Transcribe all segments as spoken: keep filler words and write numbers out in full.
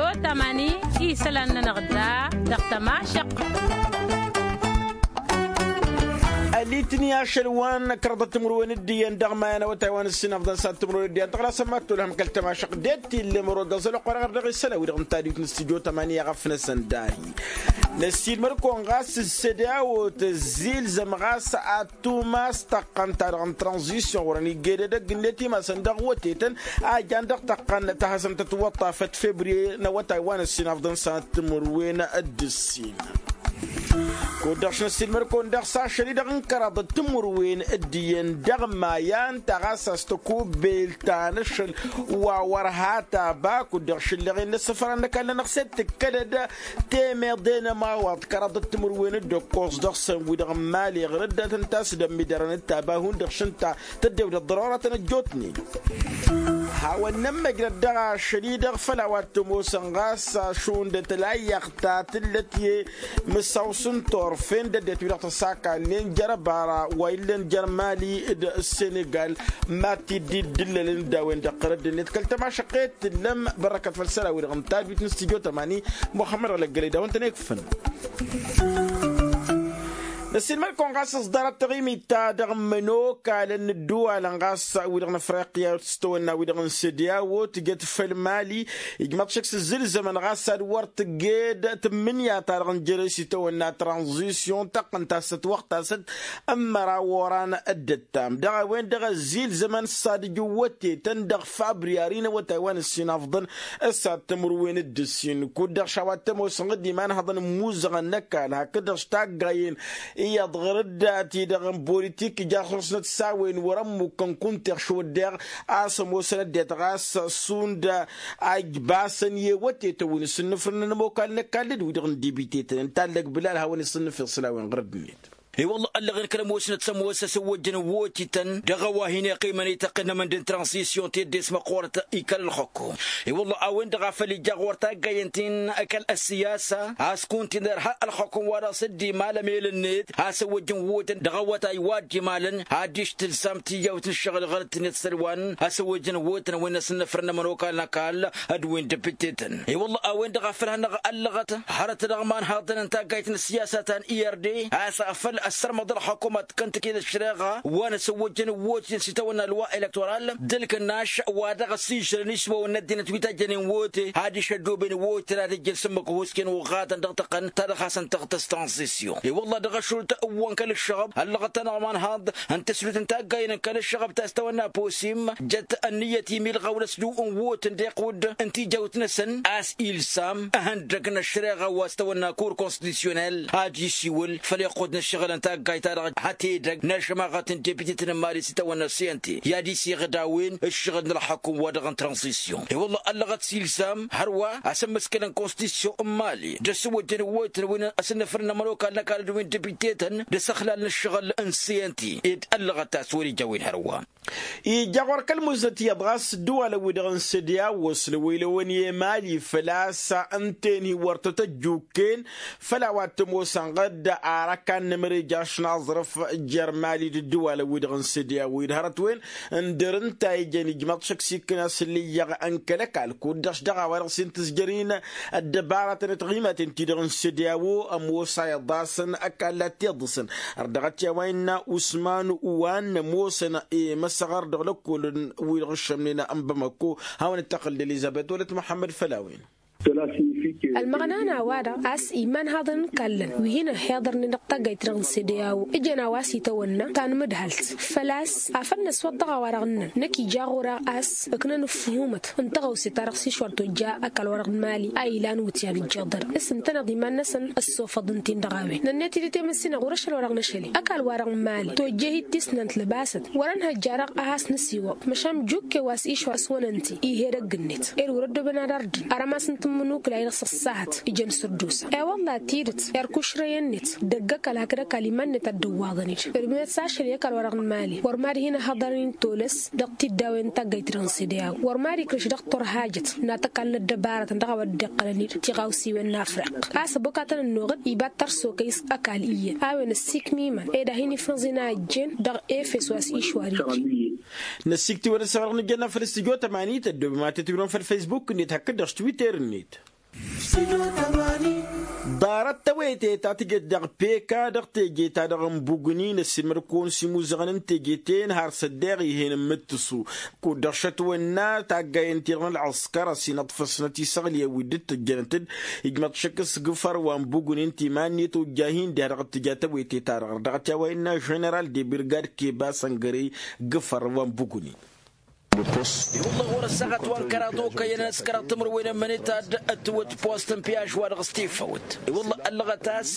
Otămani isălan-nănăɣ da dăɣ-tămašăq. Ălitni ašăl wa n-kărăḍăt timǝrwen d-iyyăn dăɣ-maya n-awătay wa n-ǝssinăfḍăn s-ad-timǝrwen d-iyyăn dăɣ-lasămmat tolhăm kăl-tămašăq d-e t-illăm orogaẓăl ăqqoraɣăr dăɣ-isălan wi-dăɣ n-tadwit n-stujo tămani i-aɣăf-năsăn dahi. Năssiilmăr-kăwăn ɣas s-sădeawăt ăzzilzăm ɣas ad-tumas tăqqăn-ta-dăɣ n-tranzisyon wărăn igged edăgg-net imasăn dăɣ-wătetăn a jan dăɣ-tăqqăn ta hasăn-tătwăṭṭafăt febriye n-awătay wa n-ăssinafḍăn s-ad-timǝrwen d-ǝssin. Kud-dăɣ šnăssilmăr-kăwăn daɣ s-ašăl-i-dăɣ n-kăraḍăt timǝrwen d-iyyăn dăɣ-maya ǝnta ɣas a-s tăkubbelt ta n-ašăl wa wăr ha taba kud-dăɣ šǝllăɣen n-asǝfra n-ăkall-nănăɣ s-e d-tǝkkălăd temeḍe n-ămawaḍ kăraḍăt timǝrwen d-ăkkoẓ dăɣ-săn wi-dăɣ n-mali ɣǝr-dd ad-tăn-tasdăm midarăn d-taba hundăɣ šǝnta tăddewdăt ḍărora tăn-ăjjootnen. Hawăn-nămmăjrăd dăɣ-ašăl-i-dăɣ făll-a-wa t-ămoosăn ɣas šund tălayyăɣt ta tǝllăt i-mǝssaw s-n-turfen d-ăddinăt wi-dăɣ tăsakalen jer-ăbara wa illăn jer-mali d-senegal ma t-dd-dd-ǝllălăn d-a-wen-dăɣ ɣur-ăddinăt kăl-tămašăqqet tǝllăm bărrăkăt făll-isălan-wi-dăɣ n-tadwit n-stujo tămani muxămmăd ălăggălăy d-a-wen-tăn-ikfăn. Năssiilmăd-kăwăn ɣas s-ḍarăt taɣimit ta dăɣ-imănokalăn n-ǝddǝwalăn ɣas wi-dăɣ n-afriqya s-tawănna wi-dăɣ n-sediawo tǝjăt făll-mali ijmaḍ šăkk s-ǝzzǝlzămăn ɣas ad-wăr tǝgged tǝmmǝnǝya-ta-dăɣ n-jere s-itawănna tranzisyon tăqqăn-t a-s ătwăɣtasăt n-măraw oran d-ǝttam dăɣ-a-wen-dăɣ ăzzilzămăn s-ad-ǝjǝwwătetăn dăɣ-fabriyari n-awătay wa n-ǝssin afḍăn s-ad-tămrǝwen d-ǝssin kud-dăɣ šawa t-ămoosăn d-imanhăḍăn ămmuzăɣăn n-ăkall hakd-dăɣ s-taggayen iyyăḍ ɣur-dd ti-dăɣ n-bolitik ija ɣur-snăt s-a-wen wăr-ămmukkăn kunta iɣš wădden a-s ămoosăn ăddinăt ɣas šund a ijbasăn i-wătetăn wi n-asǝnnǝfrǝnăn ămokal n-ăkall d-wi-dăɣ n-dibitetăn n-tallăg bǝlal hawăn-isǝnnǝf iɣsǝlawen ɣur-ăddinăt. I-wălla ăllăɣen kăl-ămoosnăt s-ămoos asăwwăjjăn wotităn dăɣ-a-wa hin-iqqimăn itaqqǝnnămăn d-intranzisyon teddes măqqoorăt ikal ălxukkum. I-wălla a-wen-dăɣ a făl ija ɣur-taggayen ti n-ăkall ăssiyasa a-s kunta inărha ălxukkum-wa-dăɣ s-dd-imal ămel-net asăwwăjjăn wotăn dăɣ-awătay wa dd-imalăn adiš tǝlsam tijawt n-ǝššăɣǝl ɣur-ǝttǝnet s-ălwan asăwwăjjăn wotăn wi n-asǝnnăfrănnămăn okal n-ăkall d-wi n-depittetăn. I-wălla a-wen-dăɣ a făl hanăɣ-ăllăɣăt hărăt dăɣ-imanhaḍăn n-taggayt n-ăssiyasa ta n-irde a-s afăl ăssărmăḍ ălxukkum ad-t-kăntăked ăššăreɣa wa n-asăwwăjjăn wotităn s-itawănna ălwa elektoral d-ǝlkǝnnaš wa dăɣ-ăssižrăn išmawăn n-ăddinăt wi tajjănen wote adiš ăddooben wotităn ad-ǝjjǝn s-ǝmmǝk ăhusken uɣatăn dăɣ-tăqqăn ta dăɣ-hasăn-tăɣtăs tranzisyon i-wălla dăɣ-ašult ǝwwăn kăl-ǝššăɣăb ăllăɣăt-anăɣ imanhaḍ n-tǝslut n-taggayen n-kăl-ǝššăɣăb ta s-tawănna posim jăt ănniyăt imilɣăw n-ăsduw n-wot n-deqwǝd n-tijawt-năsăn a-s ilsam ăhăndăg n-ăššăreɣa wa s-tawănna kur konstitusyonel ad-isiwǝl făll-iqqud n-ǝššăɣǝl n-taggayt-ta-dăɣ hătedăg n-ašămaɣăt n-depite-tăn n-mali s-itawănna siyănte i-ad-isiɣǝd a-wen ǝššăɣǝl n-ălxăkum wa dăɣ-n tranzisyon i-wălla ăllăɣăt s-ilsam hărwa asǝmmǝskăl n-konstitusyon n-mali d-ăssǝwăjjăn ǝwwăytăn wi n-asǝnnăfrăn n-ămănokal n-ăkall d-wi n-depite-tăn d-asăxlal n-ǝššăɣǝl n-siyănte ed ăllăɣăt a-s wăr-ija a-wen hărwa. Ija ɣur-kăl-muznăt iyyăḍ ɣas ǝddǝwalăn-wi-dăɣ n-sădiya wăsnăwăy lăwăn i-emali făl-a-s ǝnta-en hi-wăr tăt-ăjjukken făll-a-wa t-ămoosăn ɣǝdda ar ăkann n-emărej ašnaẓrǝf jer-mali d-ǝddǝwalăn-wi-dăɣ n-sădiya wi d-hărăt-wen ǝndăr ǝnta a ijăn ijmăḍ šăkk s-ikkǝn asǝllǝyyăɣ n-kăl-ăkall kud-dăɣ-š dăɣ-a-wa-dăɣ s-intǝzjăr-in ăddăbaratăn d-taɣimaten-ti-dăɣ n-sădiya wi ămoos a iḍasăn ăkall ad-t-iḍǝsăn. Ărdăɣăt i-a-wa innă usman wa n-ămoosăn i-măsăɣăr dăɣ-lăkkolăn wi-dăɣ ǝššămnen n-bamăkko. Hawăn-dd-tăxǝl d-elizăbet wălăt muḥămmăd făll-a-wen. Ălmăɣnan a-wa-dăɣ a-s imanhaḍăn n-kallăn wi hin-ăhhiḍărnen dăɣ-taggayt-dăɣ n-sădeya-wo ǝjăn a-wa s-itawănna ta n-mǝdhălt făl-a-s afăl năswăḍ dăɣ-a-wa-dăɣ ǝnnăn năkk ija ɣur-eɣ a-s ǝknăn ǝffǝhumăt n-taɣăwse-ta-dăɣ s-išwăr tojja ăkall-wa-dăɣ n-mali a ilan wǝtyan ǝjjăḍăr s-ǝntăneḍ iman-năsăn ăssofăḍ ǝnta-in dăɣ-a-wen nănnet-dd i-temǝssinăɣ wăr-ašăl wa-dăɣ năšăl-i ăkall-wa-dăɣ n-mali tojje hi-t tisnant lăbasăt wăr-ănhăjja-dăɣ a has-nǝsiwăḍ măšan jukke wa s-išwăr s-wănăn-t ih'-edăgg-net ed wăr-ăddooben ad-ardǝn arămas n-tǝmmǝnukla-i-dăɣ s-ăṣṣahăt ijăn sărdusa i-wălla tidǝt erk ušrăy-net dăgg-ăkall hakd ăkall iman-net ad-dd-ǝwwaḍăn-dd ădmǝnet s-ašăl i-ăkall-wa-dăɣ n-mali wăr mad-hin-ăhhăḍărăn tolăs dăɣ-tiddawen n-taggayt-dăɣ n-sădeya wăr mad-ikrǝš dăɣ-turhajăt n-ad-t-ăkall n-ăddăbarătăn dăɣ-a-wa dd-iqqălăn-dd tiɣawsiwen n-afriq a-s ăbokatăn ănnuɣ-dd iba d-tărsokăy s-ăkall iyyăn a-wen ăssiikmimăn ed a hin-ifnăẓ-in a ăjjeen dăɣ-efes wa s-išwar-iji. Năssiiktiwăn ăssăɣrăɣ n-ǝjjănna făll-stujo tămani tăddoobem ad-tătwǝrǝwăn făll-faysbuk-net hakd-dăɣ s-twitter-net. Ḍarăt tawăyte ta tǝjăt dăɣ-peka dăɣ-teje-ta-dăɣ n-bugni n-ăssiilmăd-kăwăn s-imuzăɣăn n-teje-ten har s-ăddeɣ ih'-en n-imǝttǝsu kud-dăɣ šătwănna taggayen-ti-dăɣ n-ălɣǝskăr ăsinăḍfăsnăt isăɣliyăn wi dd-tǝjjănăt-dd. Ijmăḍ šăkk s-gǝfăr wa n-bugni n-timan-net ojjah-in diha-dăɣ t-tǝja tawăyte-ta-dăɣ dăɣ-t i-a-wa innă ženeral de birgad keba săngărey gǝfăr wa n-bugni. I-wălla ɣur-ăssaɣăt wa n-kăraḍ okăyăn ăskăraḍ timǝrwen ămmănet ad-ătwăt post n-piyaž wa dăɣ-s tifăwt. I-wălla ăllăɣăt a-s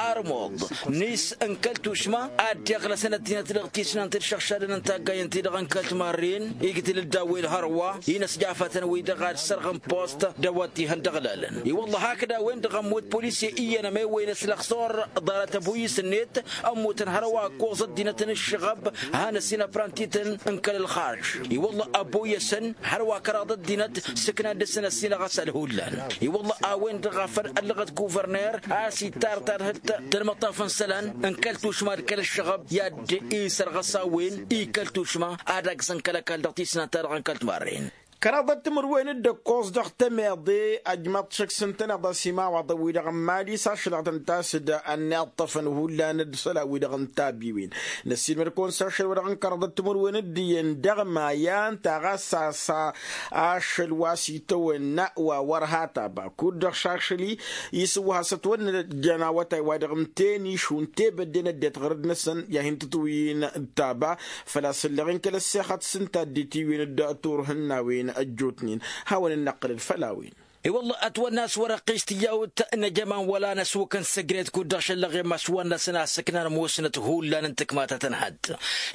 armuḍ nis n-kăl-tušma ad-dd-iɣlăsăn ăddinăt dăɣ-tisnant d-išăɣšadăn n-taggayen-ti-dăɣ n-kăl timarren igdǝl-dd a-wen hărwa-i n-ăsjafatăn-wi-dăɣ ad-sărɣăn post d-a-wa t-ihăn d-ăɣlalăn. I-wălla hakd a-wen-dăɣ ămmut polisye iyyăn ămewăyăn s-lăxsor ḍarăt ăboyǝs-net ămmutăn hărwa ăkkoẓ ăddinăt n-ǝššăɣăb. Han ăsinăpran tităn n-kăl-ălxarj i-wălla ăboyăsăn hărwa kăraḍ ăddinăt sǝknan dăr-săn ăsinăɣ asal hullan. I-wălla a-wen-dăɣ a făl ăllăɣăt kuvărner a-s ittar tadhǝlt tălmăṭṭaf n-isălan n-kăl-tušma d-kăl-ǝššăɣăb i-ad-isărɣăs a-wen i-kăl-tušma ad-aggsăn kăl-ăkall dăɣ-tisnant-ta-dăɣ n-kăl-timarren. Kăraḍăt timǝrwen d-ǝkkoẓ dăɣ-temeḍe ajmaḍ šăkk s-ǝntăneḍ a-s imawaḍăn-wi-dăɣ n-imali s-ašălăɣ tăn-tasǝd ănniḍtăfăn hullan d-isălan-wi-dăɣ n-tabiwen. Năssiilmăd-kăwăn s-ašăl wa dăɣ-n kăraḍăt timǝrwen d-iyyăn dăɣ-maya ǝnta ɣas a-s ašăl wa s-itawănna wa wăr hataba kud-dăɣ šašăl-i isǝwwăh a-s ătwănnăjăn awătay wa dăɣ-ǝmten išun tebădden ăddinăt ɣărăd-năsăn i-ad-hin-tǝtwǝyǝn d-taba. Făl-a-s ǝlleɣ-in kăl-ăssexăt s-ǝnta dd-itiwǝyǝn d-turhǝnnawen ăjjootnen. Hawăn-dd-năqqǝlăd făll-a-wen. I-wălla ătwănna a-s wăr-ăqqis tijawt n-ajăman wăla n-ăsuk n-sǝgret kud-dăɣ šăllăɣ i-mašwăn-năsăn a-s ǝknan ămoosnăt hullan n-tǝkmatăt n-hădd.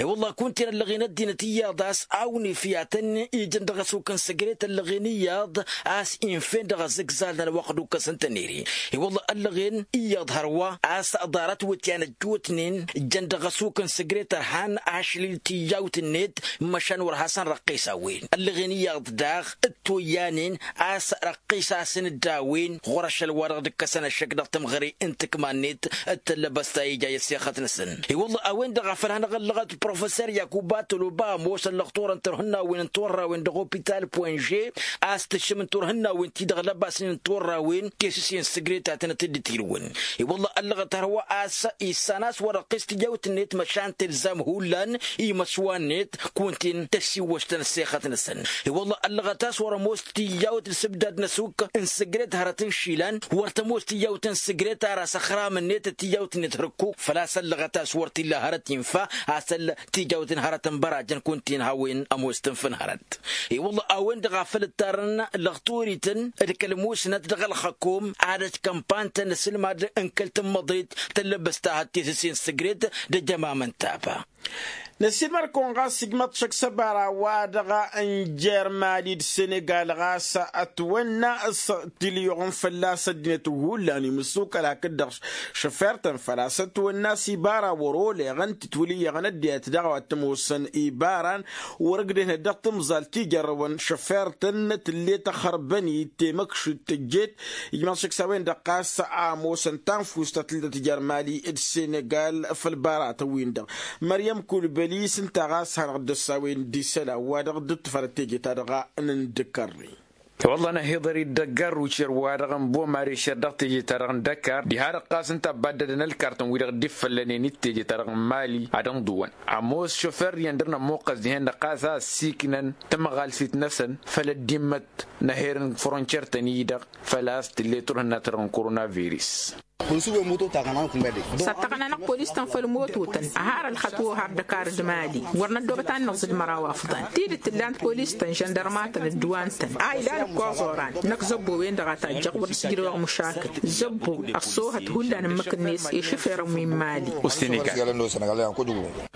I-wălla kunta-en ăllăɣen ăddinăt iyyăḍ a-s awnif i-ad-tăn-ijăn dăɣ-ăsuk n-sǝgret ăllăɣen iyyăḍ a-s inf'-en dăɣ-azǝgzal n-ălwăqq d-ukkăs n-tăniri. I-wălla ăllăɣen iyyăḍ hărwa a-s ḍarăt wǝtyan ăjjootnen jăn dăɣ-ăsuk n-sǝgret ărhan ašlil tijawt-net măšan wăr hasăn răqqis a-wen ăllăɣen iyyăḍ daɣ d-toyyanen a-s răqqis-asăn-dd a-wen ɣur-ašăl wa dăɣ-dd-ǝkkăsăn ăššăk dăɣ-tămɣăre n-tǝkma-net. D-tăllăbăst ta ija i-ăssexăt-năsăn. I-wălla a-wen-dăɣ a făl hanăɣ-ăllăɣăt professor yakuba tăloba ămoos ăllăɣ turăn turhǝnnawen n-turrawen dăɣ-opital poinže a-s tǝššǝm n-turhǝnnawen-ti-dăɣ lăbasnen n-turrawen tesǝse n-sǝgret a tănăt-dd-tilǝwăn. I-wălla ăllăɣăt hărwa a-s issan a-s wăr-ăqqis tijawt-net măšan tǝlzam hullan imăswa-net kunta-en tăsiwwăštăn ăssexăt-năsăn. I-wălla ăllăɣăt a-s wăr-ămoos tijawt d-isǝbdad n-ăsuk n-sǝgret hărăt n-išilan wăr tămoos tijawt n-sǝgret ar asăxram-net d-tijawt-net hărkuk făl-a-s ăllăɣăt a-s wăr t-illa hărăt infa a-s ăll tijawt n-hărăt n-bărajăn kunta-en hawăn-ămoos tǝnf'-in hărăt. I-wălla a-wen-dăɣ a făl ǝttarăn lăxturităn d-kăl-musnăt dăɣ-ălxăkom ad-ăjkănpantăn asǝlmad n-kăl-tǝmmăḍet tăllăbăst ta hăttesăsen sǝgret d-ejămam n-taba. Năsiilmăr-kăwăn ɣas ijmăḍ šăkk s-ăbara wa dăɣ-n jer-mali d-senegal ɣas ătwănna s-tiliyuɣăn fălla-s ăddinăt hullan imǝssukăl hakd-dăɣ šăfer-tăn făl-a-s ătwănna s-ibara wăr-oleɣăn tǝtwǝlǝyyăɣăn ăddinăt daɣ wa t-ămoosăn ibaran wăr-ǝgdehnet dăɣ-tǝmẓalt ijărrăwăn šăfer-tăn tǝllet ăxărbăn-i temăkšit tǝjjet. Ijmaḍ šăkk s-a-wen-dăɣ ɣas a ămoosăn tanfust ta tǝllet jer-mali d-senegal făll-ibaratăn-win-dăɣ. Măryăm kulbăli s-ǝnta ɣas hanăɣ-dd-ăssawen d-isălan wa dăɣ-dd-ǝṭṭǝfărăt teje-ta-dăɣ n-indǝkărri. Wălla n-ahiḍăr-i d-ăggarru šer-wa-dăɣ n-bomare šer dăɣ-teje-ta-dăɣ n-dăkar diha-dăɣ ɣas ǝnta ăbbaddădăn ălkartăn-wi-dăɣ dd-iffăllănen d-teje-ta-dăɣ n-mali ad-ǝnḍǝwăn. Ămoos šofer-iyyăn dăr-nămmuqqăs dihen-dăɣ ɣas a ăssiiknăn tamăɣalsit-năsăn făll-ăddimmăt n-aher n-frontiyer-tăn-i-dăɣ făl-a-s tǝllet turhǝnna-ta-dăɣ n-koronavirus. S-ad-tăɣna-năɣ polis-tăn făll-mototăn ăhar ălxăt-wăw har dăkar d-mali wăr năddoobăt ad-nǝẓǝd măraw afḍăn tidǝt tǝllan polis-tăn žăndărma-tăn ădduwan-tăn a ilan ǝkkoẓ oran. Năkk zăbbo-wen-dăɣ a tajjăɣ wăr dăɣ-s ijrăwăɣ mušakǝl zăbbo ăṣṣoohăt hullan ǝmmǝk-net i-išǝferăn wi n-mali.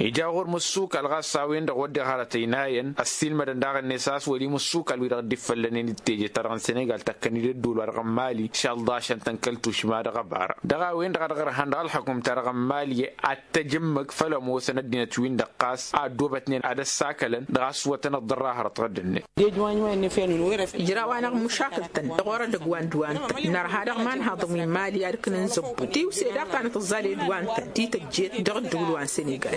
Ija ɣur-mǝssukal ɣas a-wen-dăɣ wădden hărăt ăynayăn ăssiilmădăn daɣ-net a-s wăl' imǝssukal-wi-dăɣ dd-iffăllănen d-teje-ta-dăɣ n-senegal tăkkăn-dd ădduul wa dăɣ-n mali šălḍašăn-tăn kăl-tušma dăɣ-ăbara. Dăɣ-a-wen-dăɣ a dăɣ-ărhan dăɣ-ălxukum-ta-dăɣ n-imali ad-t-ăj ǝmmǝk făll-ămoosăn ăddinăt-win-dăɣ ɣas a ăddoobătnen ad-ăssakălăn dăɣ-a-s wătăn ăḍḍărra hărăt ɣǝddǝnnet. Ijraw-anăɣ mušakǝl-tăn dăɣ-orădăg wa n-dd-wa-nătăn nărha dăɣ-imanhaḍăn wi n-imali ad-ǝknǝn zăbbu tiwse daɣ ta n-tǝẓẓal i-dd wa n-tăn ti tăjjet dăɣ-ǝddǝwǝl wa n-sănegal.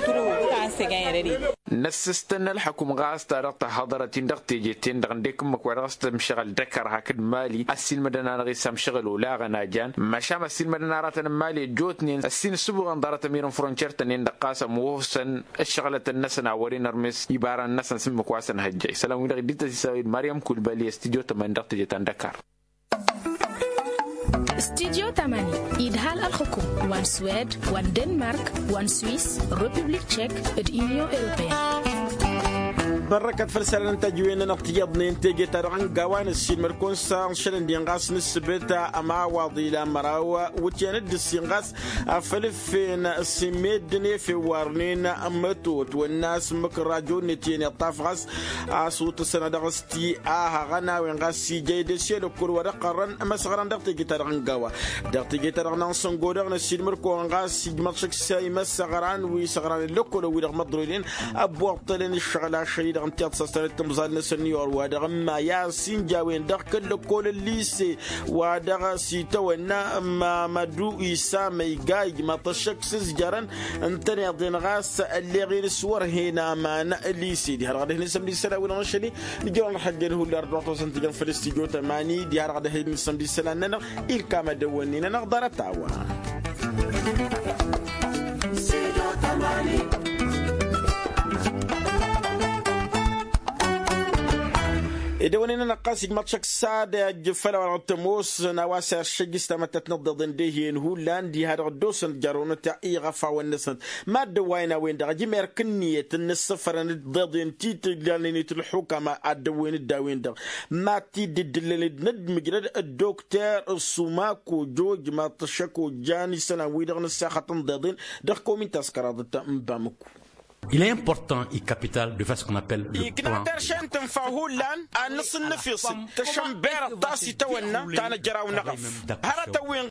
Năssǝstăn ălxukum ɣas ta dăɣ-tăhhăḍărăt-in dăɣ-teje-ten-dăɣ ǝndek ǝmmǝk wa dăɣ-s tǝmšăɣǝl dăkăr hakd mali ăssiilmădăn-anăɣ-i s-amšăɣǝl olaɣăn a jan măšan ăssiilmădăn aratăn n-mali ăjjootnen ăssiinsǝbuɣăn ḍarăt ămirăn frontiyer-tăn-en-dăɣ ɣas ămoosăn ǝššăɣlătăn-năsăn a wăren ărmes ibarăn-năsăn s-ǝmmǝk wa s-ănhăjjay isălan-wi-dăɣ iddităt isălan-wi d-maryăm kulbali ăstidyo tămani dăɣ-teje ta n-dăkar. Studyo tamani idhal ălxukum wa n-swed wa n-denmark wa n-swiss, republik tchek d-union europeen. Bărrăkăt făll-isălan n-tăjwen-nănăɣ tiyyăḍnen teje-ta-dăɣ n-gawa n-ăssiilmăd-kăwăn s-ašălăn-din ɣas n-ǝssǝbǝt ămawaḍ ilan măraw wǝtyan d-ǝssin ɣas afăl ǝffen s-imeddǝn efew warnen mătot wănna s-ǝmmǝk n-rajo-net iyyăn iṭṭaf ɣas a-s otăsăn ad-dăɣ-s ti ahăɣăn a-wen ɣas ija idăs i-lăkkol wa dăɣ-qărrăn imăsăɣran dăɣ-teje-ta-dăɣ n-gawa. Dăɣ-teje-ta-dăɣ n-ansăngo dăɣ-năssiilmăr-kăwăn ɣas ijmăḍ šăksa imăsăɣran wi săɣran i-lăkkol ăwwidăɣ măḍroynen ăbboṭṭălăn ǝššăɣǝl ašăl-i-dăɣ ǝntiyăḍ s-ăstănăt tǝmẓal-năsăn n-iyor wa dăɣ-ǝmma i-asinja-wen dăɣ-kăl-lăkkol ălliise wa dăɣ-s itawănna mamădu isa măyga ijmăḍ-t ăššăk s-ǝzjărăn ǝntăneḍ-en ɣas ălleɣ-in s-wăr hen aman. Lise diha-dăɣ ad-ăhǝn isămd isălan-wi-dăɣ n-ašăl-i nǝjrăwăn ălxăjjăl hullan d-dăɣ-tosăn tijăn făll-s tijo tămani diha-dăɣ ad-ăhǝn isămd isălan-nănăɣ ilkam ad-ăwwănnen-anăɣ ḍarăt-a-wa. Ed ăwănen-anăɣ ɣas ijmăḍ šăkk s-ad-ăjj făll-a-wa dăɣ-tămoosăn a-wa s-iršăjj s-tamăttat n-ăḍḍeḍen d-ehǝyăn hullan diha-dăɣ ăddoosăn ăjjarrăwnăt iɣăfawăn-năsnăt. Mad-dăwwayăn a-wen-dăɣ ăjmăr kǝnniyăt n-ǝssăfărăn d-iḍeḍen ti tǝjlalnen-it ǝlxukama ad-dăwwen-dd a-wen-dăɣ mad-t-dd-ǝddǝllăn d-inăddmǝjrăd ăddokter sumako joj mad-t-ăššăk ojjan isălan-wi-dăɣ n-ǝssaxăt n-iḍeḍen dăɣ-komin taskăraḍăt n-bamǝku. Il est important i-kapital de făs qu'on appelle le plan. Ikna terše n-tǝnfa hullan ad-nǝsǝnnǝfisǝd tăšănberăt ta s-itawănna ta n-ăjraw n-eɣăf hărătăn-win.